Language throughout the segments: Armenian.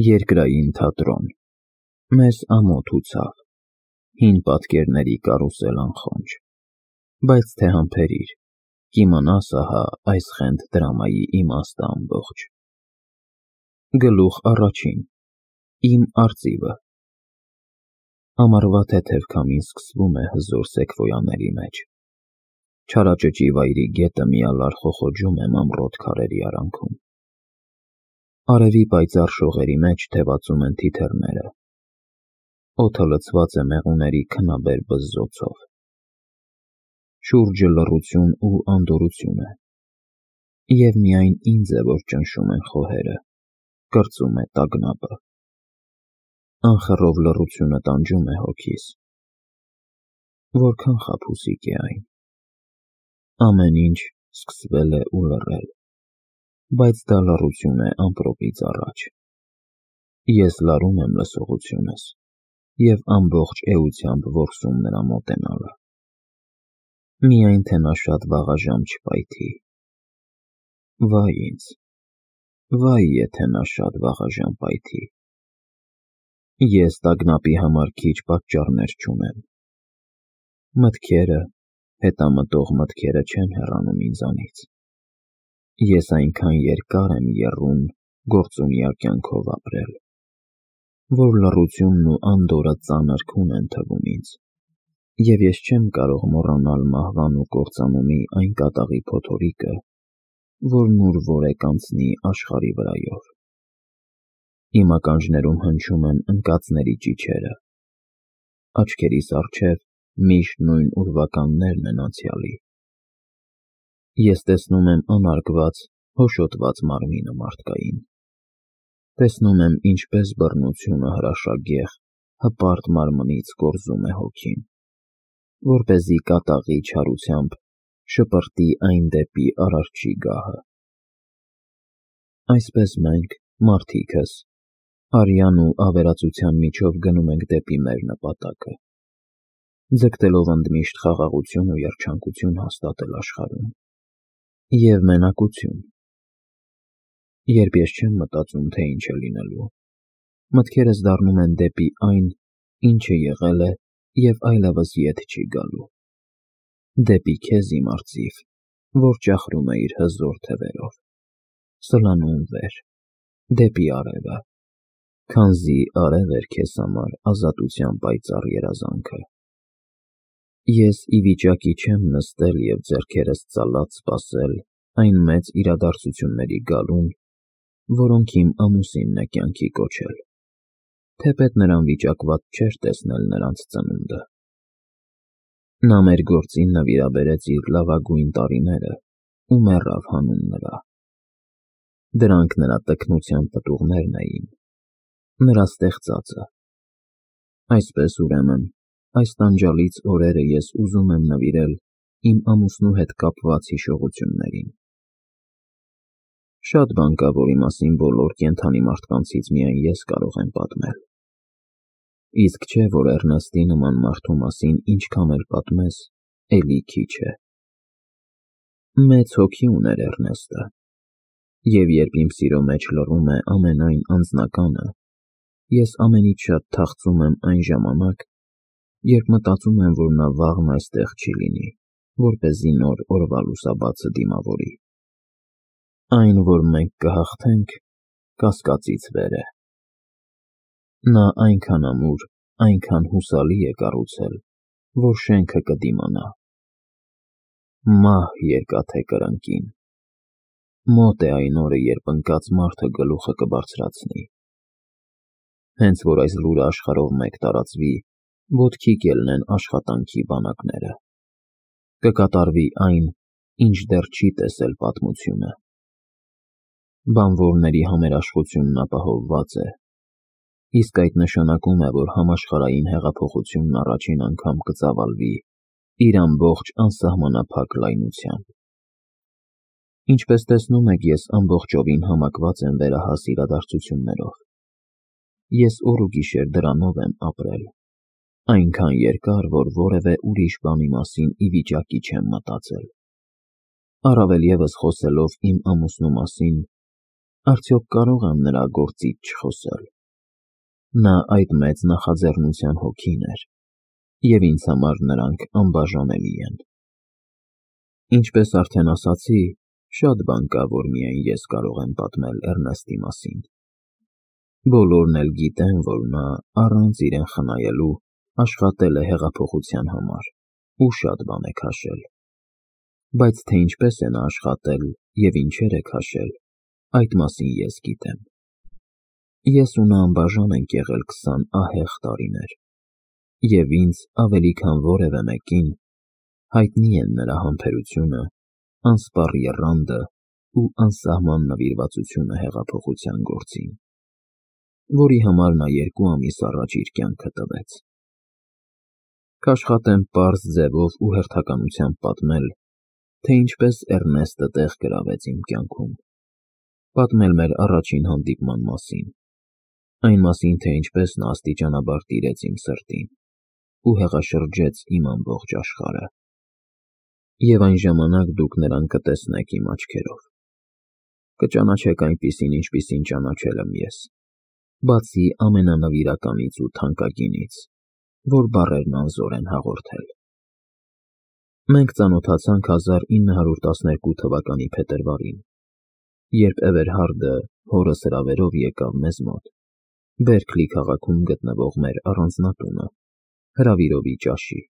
Երկրային թատրոն, մեզ ամոթ ուցավ, հին պատկերների կարուսել անխոնջ, բայց թե համբերիր, կիմանաս ահա այս խենթ դրամայի իմաստը ամբողջ։ Գլուխ առաջին, իմ արծիվը։ Ամառվա թեթև քամին սկսվում է հզոր սեկվոյաների մեջ, չարաճճի վայրի գետը միալար խոխոջում է մանրոտ քարերի արանքում։ Արևի պայծառ շողերի մեջ թևածում են թիթեռները, օդը լցված է մեղուների քնաբեր բզզոցով։ Շուրջը լռություն ու անդորրություն է, և միայն ինձ է, որ ճնշում են խոհերը, կրծում է տագնապը։ Անխռով լռությունը տանջում է հոգիս, որքան խաբուսիկ է այն։ Ամեն ինչ սկսվել է ու լռել, բայց դա լռություն է ամպրոպից առաջ։ Ես լարում եմ լսողությունս և ամբողջ էությամբ որսում նրա մոտենալը։ Միայն թե նա շատ վաղաժամ չպայթի։ Վայ ինձ, վայ եթե նա շատ վաղաժամ պայթի։ Ես տագնապի համար քիչ պատճառներ չունեմ։ Մտքերը, հետամտող մտքերը չեն հեռանում ինձանից։ Ես այնքան երկար եմ եռուն գործունյա կյանքով ապրել, որ լռությունն ու անդորրը ծանր քուն են թվում ինձ, և ես չեմ կարող մոռանալ մահվան ու կործանումի այն կատաղի փոթորիկը, որն ուր-որ անցնի աշխարհի վրայով։ Իմ ականջներում հնչում են ընկածների ճիչերը, աչքերիս առջև միշտ նույն ուրվականներն են անցյալի։ Ես տեսնում եմ անարգված, հոշոտված մարմինը մարդկային, տեսնում եմ ինչպես բռնությունը հրաշագեղ, հպարտ մարմնից կորզում է հոգին, որպեսզի կատաղի չարությամբ շպրտի այն դեպի Արարչի գահը։ Այսպես մենք, մարդիկս, արյան ու ավերածության միջով գնում ենք դեպի մեր նպատակը, ձգտելով ընդմիշտ խաղաղություն ու երջանկություն հաստատել աշխարհում և մենակություն։ Երբ ես չեմ մտածում, թե ինչ է լինելու, մտքերս դառնում են դեպի այն, ինչը եղել է և այլևս ետ չի գալու, դեպի քեզ, իմ արծիվ, որ ճախրում է իր հզոր թևերով, սլանում վեր, դեպի արևը, քանզի արև էր քեզ համար ազատության պայծառ երազանքը։ Ես ի վիճակի չեմ նստել և ձեռքերս ծալած սպասել այն մեծ իրադարձությունների գալուն, որոնք իմ ամուսինն է կյանքի կոչել, թեպետ նրան վիճակված չէր տեսնել նրանց ծնունդը։ Նա մեր գործին նվիրաբերեց իր լավագույն տարիները ու մեռավ հանուն նրա։ Դրանք նրա տքնության պտուղներն էին, նրա ստեղծածը։ Այսպես, ուրեմն, այս տանջալից օրերը ես ուզում եմ նվիրել իմ ամուսնու հետ կապված հիշողություններին։ Շատ բան կա, որի մասին բոլոր կենդանի մարդկանցից միայն ես կարող եմ պատմել։ Իսկ չէ, որ Էռնեստի նման մարդու մասին ինչքան էլ պատմես, էլի քիչ է։ Մեծ հոգի ուներ Էռնեստը, և երբ իմ սիրո մեջ լռում է ամենայն անձնականը, ես ամենից շատ թախծում եմ այն ժամանակ, երբ մտածում եմ, որ նա վաղն այստեղ չի լինի, որպեսզի նոր օրվա լուսաբացը դիմավորի։ Այն, որ մենք կհաղթենք, կասկածից վեր է։ Նա այնքան ամուր, այնքան հուսալի է կառուցել, որ շենքը կդիմանա։ Մահ երկաթե կրնկին։ Մոտ է այն օրը, երբ ընկած մարդը գլուխը կբարձրացնի։ Հենց որ այս լուրը աշխարհով մեկ տարածվի, ոտքի կելնեն աշխատանքի բանակները։ Կկատարվի այն, ինչ դեռ չի տեսել պատմությունը։ Բանվորների համերաշխությունն ապահովված է, իսկ այդ նշանակում է, որ համաշխարհային հեղափոխությունն առաջին անգամ կծավալվի իր ամբողջ անսահմանափակ լայնությամբ։ Ինչպես տեսնում եք, ես ամբողջովին համակված եմ վերահաս իրադարձություններով։ Ես օր ու գիշեր դրանով եմ ապրել, այնքան երկար, որ որևէ ուրիշ բանի մասին ի վիճակի չեմ մտածել։ Առավել ևս խոսելով իմ ամուսնու մասին, Արդյոք կարող եմ նրա գործից չխոսել։ Նա այդ մեծ նախաձեռնության հոգին էր, և ինձ համար նրանք անբաժանելի են։ Ինչպես արդեն ասացի, շատ բան կա, որ միայն ես կարող եմ պատմել Էռնեստի մասին։ Բոլորն էլ գիտեն, որ նա առանց իրեն խնայելու աշխատել է հեղափոխության համար ու շատ բան է քաշել։ Բայց թե ինչպես է նա աշխատել և ինչեր է քաշել, այդ մասին ես գիտեմ։ Ես ու նա անբաժան ենք եղել 20 ահեղ տարիներ, և ինձ ավելի քան որևէ մեկին հայտնի են նրա համբերությունը, անսպառ եռանդը ու անսահման նվիրվածությունը հեղափոխության գործին, որի համար նա 2 ամիս առաջ իր կյանքը տվեց։ Կաշխատեմ պարզ ձևով ու հերթականությամբ պատմել, թե ինչպես Էռնեստը տեղ գրավեց իմ կյանքում, պատմել մեր առաջին հանդիպման մասին, այն մասին, թե ինչպես նա աստիճանաբար տիրեց իմ սրտին ու հեղաշրջեց իմ ամբողջ աշխարհը։ Եվ այն ժամանակ դուք նրան կտեսնեք իմ աչքերով, կճանաչեք այնպիսին, ինչպիսին ճանաչել եմ ես, բացի ամենանվիրականից ու թանկագինից, որ բառերն անզոր են հաղորդել։ Մենք ծանոթացանք 1912 թվականի փետրվարին, երբ Էվերհարդը հորս հրավերով եկավ մեզ մոտ, Բերքլի քաղաքում գտնվող մեր առանձնատունը, հրավիրովի ճաշի։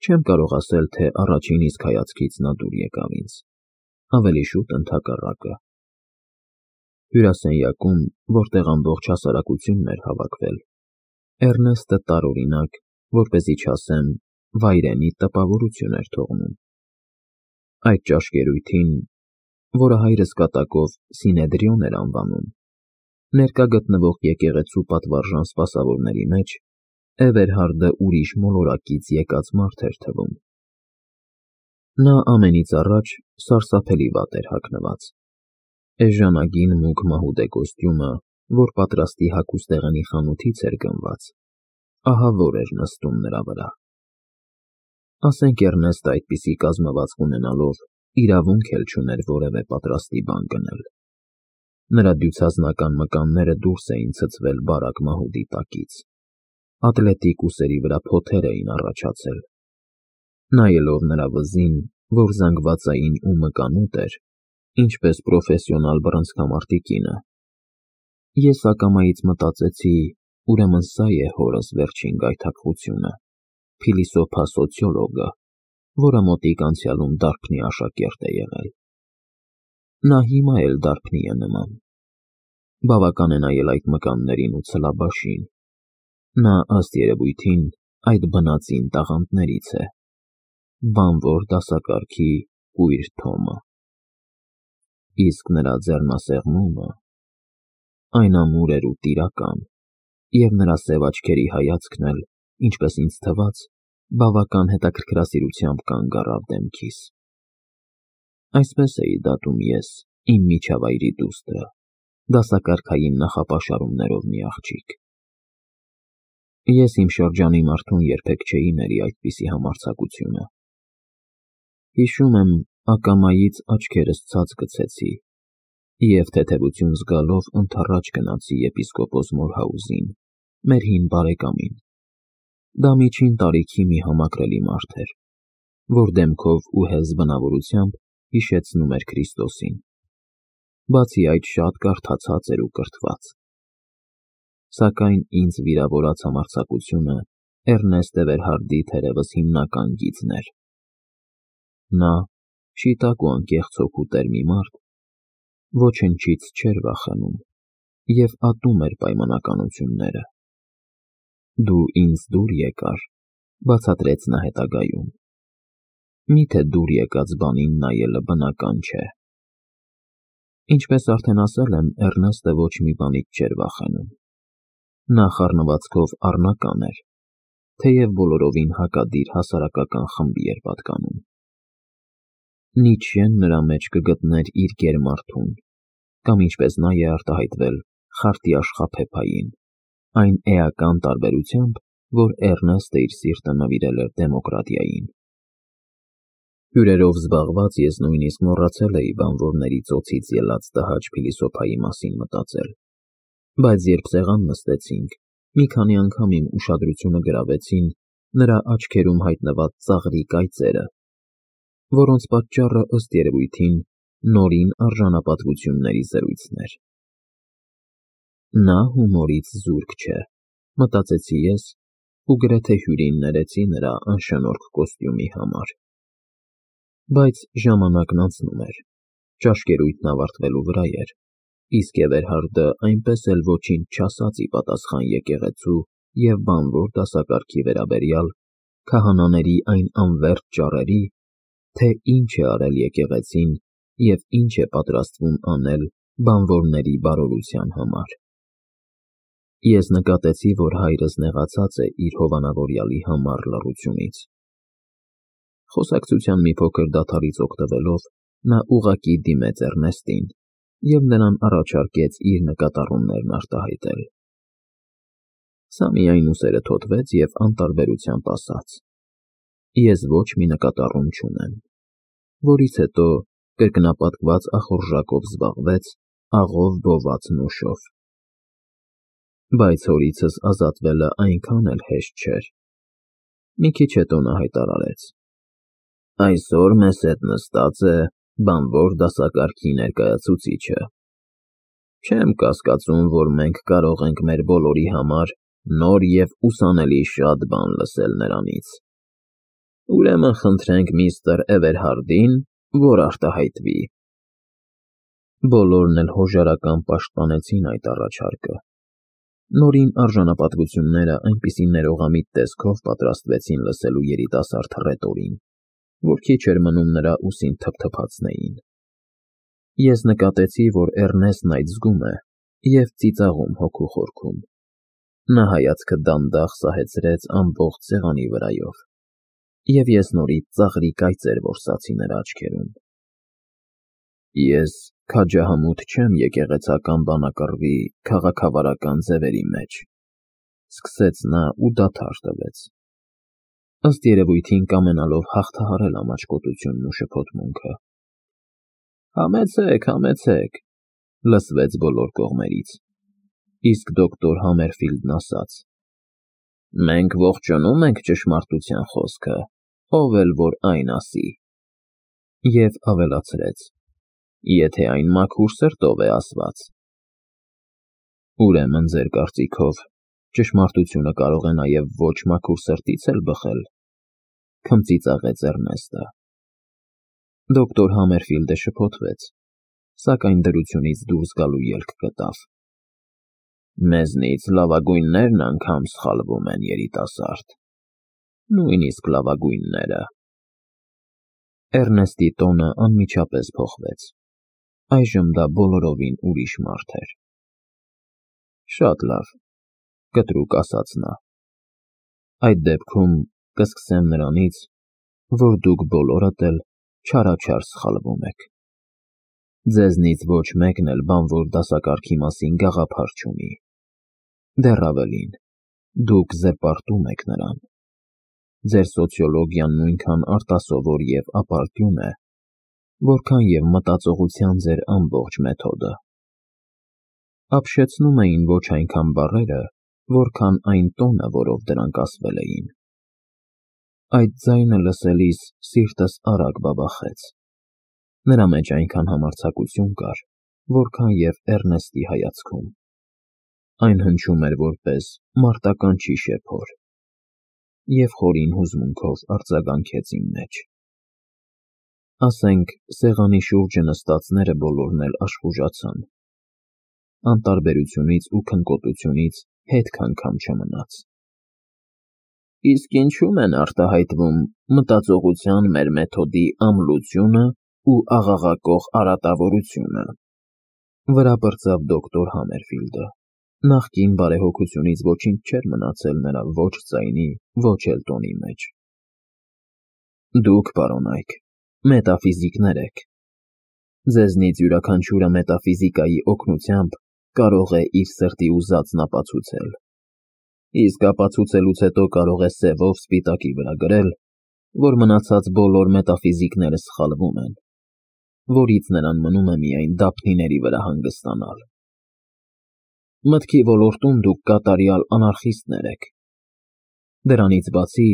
Չեմ կարող ասել, թե առաջին իսկ հայացքից նա դուր եկավ ինձ, ավելի շուտ ընդհակառակը։ Հյուրասենյակում, որտեղ ամբողջ հասարակությունն էր հավաքվել, Էռնեստը տարօրինակ, որպեսզի չասեմ, վայրենի տպավորություն էր թողնում։ Այդ ճաշկերույթին, որը հայրս կատակով Սինեդրիոն էր անվանում, ներկա գտնվող եկեղեցու պատվարժան սպասավորների մեջ Էվերհարդը ուրիշ մոլորակից եկած մարդ էր թվում։ Նա ամենից առաջ սարսափելի վատ էր հագնված։ Էժանագին մուգ մահուդե կոստյումը, որ պատրաստի հագուստեղենի խանութից էր գնված, ահավոր էր նստում նրա վրա։ Ասենք Էռնեստը այդպիսի կազմվածք ունենալով իրավունք էլ չուներ որևէ պատրաստի բան գնել։ Նրա դյուցազնական մկանները դուրս էին ցցվել բարակ մահուդի տակից, ատլետիկ ուսերի վրա փոթեր էին առաջացել։ Նայելով նրա վզին, որ զանգվածային ու մկանուտ էր, ինչպես պրոֆեսիոնալ բռնցքամարտի կինը, ես ակամայից մտածեցի, ուրեմն սա է հորս վերջին գայթակղությունը, փիլիսոփա սոցիոլոգը, որը մոտիկ անցյալում դարբնի աշակերտ է եղել։ Նա հիմա էլ դարբնի է նման։ Բավական է նայել այդ մկաններին ու ցլաբաշին։ Նա, ըստ երևույթին, այդ բնածին տաղանդներից է, բանվոր դասակարգի կույր Թոմը։ Իսկ նրա ձեռնասեղմումը, այն ամուր էր ու տիրական, և նրա սև աչքերի հայացքն էլ, ինչպես ինձ թվաց, բավական հետաքրքրասիրությամբ կանգ առավ դեմքիս։ Այսպես էի դատում ես իմ միջավայրի դուստրը, դասակարգային նախապաշարումներով մի աղջիկ։ Ես իմ շրջանի մարդուն երբեք չէի ների այդպիսի համարձակությունը։ Հիշում եմ, ակամայից աչքերս ցած գցեցի և թեթևություն զգալով ընդառաջ գնացի եպիսկոպոս Մորհաուզին, մեր հին բարեկամին։ Դա միջին տարիքի մի համակրելի մարդ էր, որ դեմքով ու հեզ բնավորությամբ հիշեցնում էր Քրիստոսին, բացի այդ շատ կարդացած էր ու կրթված։ Սակայն ինձ վիրավորած համարձակությունը Էռնեստ Էվերհարդի թերևս հիմնական գիծն էր։ Նա, շիտակ ու անկեղծ հոգու տեր մի մարդ, ոչնչից չէր վախենում և ատում էր պայմանականությունները։ Դու ինձ դուր եկար, բացատրեց նա հետագայում։ Միթե դուր եկած բանին նայելը բնական չէ։ Ինչպես արդեն ասել եմ, Էռնեստը ոչ մի բանից չէր վախենում։ Նա խառնվածքով առնական էր, թեև բոլորովին հակադիր հասարակական խմբի էր պատկանում։ Նիցշեն նրա մեջ կգտներ իր գերմարդուն, կամ ինչպես նա է արտահայտվել, խարտի աշխափեփային, այն էական տարբերությամբ, որ Էռնեստը իր սիրտը նվիրել էր դեմոկրատիային։ Հյուրերով զբաղված ես նույնիսկ մոռացել էի բանվորների ծոցից ելած տհաճ փիլիսոփայի մասին մտածել, բայց երբ սեղան նստեցինք, մի քանի անգամ իմ ուշադրությունը գրավեցին նրա աչքերում հայտնված ծաղրի կայծերը, որոնց պատճառը ըստ երևույթին նորին արժանապատվությունների զրույցն էր։ Նա հումորից զուրկ չէ, մտածեցի ես ու գրեթե հյուրին ներեցի նրա անշնորհք կոստյումի համար։ Բայց ժամանակն անցնում էր, ճաշկերույթն ավարտվելու վրա էր, իսկ Էվերհարդը այնպես էլ ոչինչ չասաց ի պատասխան եկեղեցու և բանվոր դասակարգի վերաբերյալ քահանաների այն անվերջ ճառերի, թե ինչ է արել եկեղեցին և ինչ է պատրաստվում անել բանվորների բարօրության համար։ Ես նկատեցի, որ հայրս նեղացած է իր հովանավորյալի համառ լռությունից։ Խոսակցության մի փոքր դադարից օգտվելով, նա ուղղակի դիմեց Էռնեստին և նրան առաջարկեց իր նկատառումներն արտահայտել։ Սա միայն ուսերը թոթվեց և անտարբերությամբ ասաց. Ես ոչ մի նկատառում չունեմ, որից հետո կրկնապատկված ախորժակով զբաղվեց աղով բոված նոշով։ Բայց հորիցս ազատվելը այնքան էլ հեշտ չէր։ Մի քիչ հետո նա հայտարարեց. Այսօր մեզ հետ նստած է բանվոր դասակարգի ներկայացուցիչը։ Չեմ կասկածում, որ մենք կարող ենք մեր բոլորի համար նոր և ուսանելի շատ բան լսել նրանից։ Ուրեմն խնդրենք միստր Էվերհարդին, որ արտահայտվի։ Բոլորն էլ հոժարական պաշտպանեցին այդ առաջարկը։ Նորին արժանապատվությունները այնպիսի ներողամիտ տեսքով պատրաստվեցին լսելու երիտասարդ հռետորին, որ քիչ էր մնում նրա ուսին թփթփացնեին։ Ես նկատեցի, որ Էռնեստն այդ զգում է և ծիծաղում հոգու խորքում։ Նա հայացքը դանդաղ սահեցրեց ամբողջ սեղանի վրայով, և ես նորից ծաղրի կայծեր որսացի նրա աչքերում։ Ես քաջահամուտ չեմ եկեղեցական բանակռվի քաղաքավարական ձևերի մեջ, սկսեց նա ու դադար տվեց, ըստ երևույթին կամենալով հաղթահարել ամաչկոտությունն ու շփոթմունքը։ Համեցեք, լսվեց բոլոր կողմերից, իսկ դոկտոր Համերֆիլդն ասաց. Մենք ողջունում ենք ճշմարտության խոսքը, ով էլ որ այն ասի, և ավելացրեց. Եթե այն մաքուր սրտով է ասված։ Ուրեմն ձեր կարծիքով ճշմարտությունը կարող է նաև ոչ մաքուր սրտից էլ բխել, քմծիծաղեց Էռնեստը։ Դոկտոր Համերֆիլդը շփոթվեց, սակայն դրությունից դուրս գալու ելք գտավ։ Մեզնից լավագույններն անգամ սխալվում են, երիտասարդ, նույնիսկ լավագույնները։ Էռնեստի տոնը անմիջապես փոխվեց։ Այժմ դա բոլորովին ուրիշ մարդ էր։ Շատ լավ, կտրուկ ասաց նա։ Այդ դեպքում կսկսեմ նրանից, որ դուք բոլորդ էլ չարաչար սխալվում եք։ Ձեզնից ոչ մեկն էլ բանվոր դասակարգի մասին գաղափար չունի։ Դեռ ավելին, դուք զրպարտում եք նրան։ Ձեր սոցիոլոգիան նույնքան արտասովոր և ապարդյուն է, որքան և մտածողության ձեր ամբողջ մեթոդը։ Ապշեցնում էին ոչ այնքան բառերը, որքան այն տոնը, որով դրանք ասվել էին։ Այդ ձայնը լսելիս սիրտս արագ բաբախեց։ Նրա մեջ այնքան համարձակություն կար, որքան և Էռնեստի հայացքում։ Այն հնչում էր որպես մարտականչի շեփոր, և խորին հուզմունքով արձագանքեց իմ մեջ։ Ասենք, սեղանի շուրջը նստածները բոլորն էլ աշխուժացան։ Անտարբերությունից ու քնկոտությունից հետք անգամ չմնաց։ Իսկ ինչու՞մ են արտահայտվում մտածողության մեր մեթոդի ամլությունը ու աղաղակող արատավորությունը, վրա պրծավ դոկտոր Համերֆիլդը։ Նախկին բարեհոգությունից ոչինչ չէր մնացել նրա ոչ ձայնի, ոչ էլ տոնի մեջ։ Դուք, պարոնայք, մետաֆիզիկներ եք։ Ձեզնից յուրաքանչյուրը մետաֆիզիկայի օգնությամբ կարող է իր սրտի ուզածն ապացուցել։ Իսկ ապացուցելուց հետո կարող է սևով սպիտակի վրա գրել, որ մնացած բոլոր մետաֆիզիկները սխալվում են, որից նրան մնում է միայն դափնիների վրա հանգստանալ։ Մտքի ոլորտում դուք կատարյալ անարխիստներ եք։ Դրանից բացի,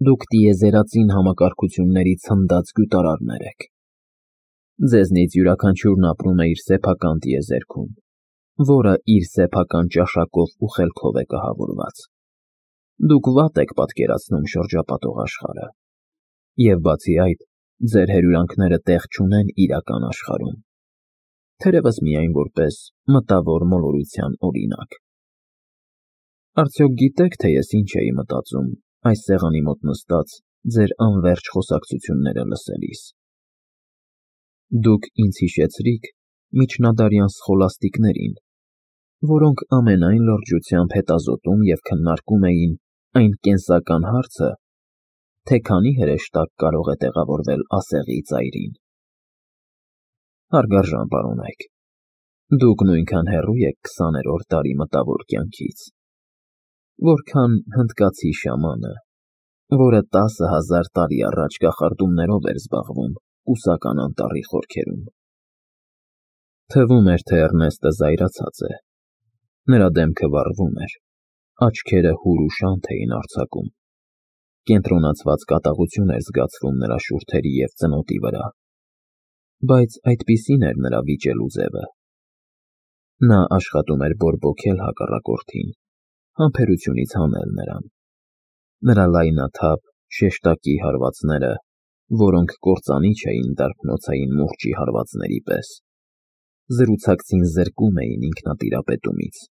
դուք տիեզերածին համակարգությունների ցնդած գյուտարարներ եք։ Ձեզնից յուրաքանչյուրն ապրում է իր սեփական տիեզերքում, որը իր սեփական ճաշակով ու խելքով է կահավորված։ Դուք վատ եք պատկերացնում շրջապատող աշխարհը, և բացի այդ, ձեր հրյուրանքները տեղ չունեն իրական աշխարհում, թերևս միայն որպես մտավոր մոլորության օրինակ։ Արդյոք գիտեք, թե ես ինչ էի մտածում այս սեղանի մոտ նստած ձեր անվերջ խոսակցությունները լսելիս։ Դուք ինձ հիշեցրիք միջնադարյան սխոլաստիկներին, որոնք ամենայն լրջությամբ հետազոտում և քննարկում էին այն կենսական հարցը, թե քանի հրեշտակ կարող է տեղավորվել ասեղի ծայրին։ Հարգարժան պարոնայք, դուք նույնքան հեռու եք 20-րդ դարի մտավոր կյանքից, որքան հնդկացի շամանը, որը 10,000 տարի առաջ կախարդումներով էր զբաղվում Կուսական անտառի խորքերում։ Թվում էր, թե Էռնեստը զայրացած է, նրա դեմքը վառվում էր, աչքերը հուր ու շանթ էին արձակում, կենտրոնացված կատաղություն էր զգացվում նրա շուրթերի և ծնոտի վրա, բայց այդպիսին էր նրա վիճելու ձևը։ Նա աշխատում էր բորբոքել հակառակորդին, համբերությունից հանել նրան։ Նրա լայնաթափ, շեշտակի հարվածները, որոնք կործանիչ էին դարբնոցային մուրճի հարվածների պես, զրուցակցին զրկում էին ինքնատիրապետումից։